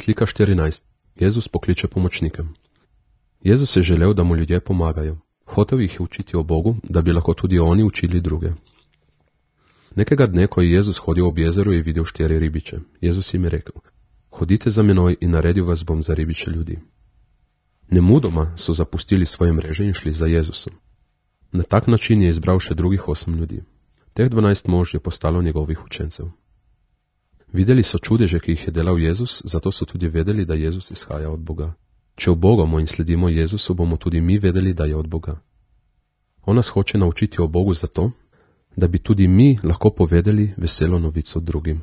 Slika 14. Jezus pokliče pomočnike. Jezus je želel, da mu ljudje pomagajo. Hotel jih je učiti o Bogu, da bi lahko tudi oni učili druge. Nekega dne, ko je Jezus hodil ob jezeru, je videl 4 ribiče. Jezus jim je rekel: hodite za menoj in naredil vas bom za ribiče ljudi. Nemudoma so zapustili svoje mreže in šli za Jezusom. Na tak način je izbral še drugih 8 ljudi. Teh 12 mož je postalo njegovih učencev. Videli so čudeže, ki jih je delal Jezus, zato so tudi vedeli, da Jezus izhaja od Boga. Če ubogamo in sledimo Jezusu, bomo tudi mi vedeli, da je od Boga. On nas hoče naučiti o Bogu zato, da bi tudi mi lahko povedali veselo novico drugim.